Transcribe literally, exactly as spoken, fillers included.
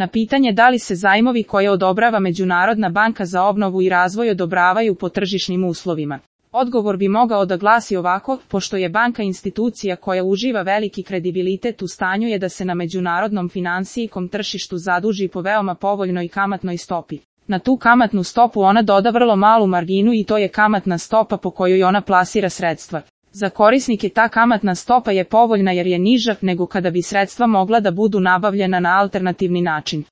Na pitanje da li se zajmovi koje odobrava Međunarodna banka za obnovu i razvoj odobravaju po tržišnim uslovima, odgovor bi mogao da glasi ovako: pošto je banka institucija koja uživa veliki kredibilitet, u stanju je da se na međunarodnom finansijskom tržištu zaduži po veoma povoljnoj kamatnoj stopi. Na tu kamatnu stopu ona doda vrlo malu marginu i to je kamatna stopa po kojoj ona plasira sredstva. Za korisnike ta kamatna stopa je povoljna jer je niža nego kada bi sredstva mogla da budu nabavljena na alternativni način.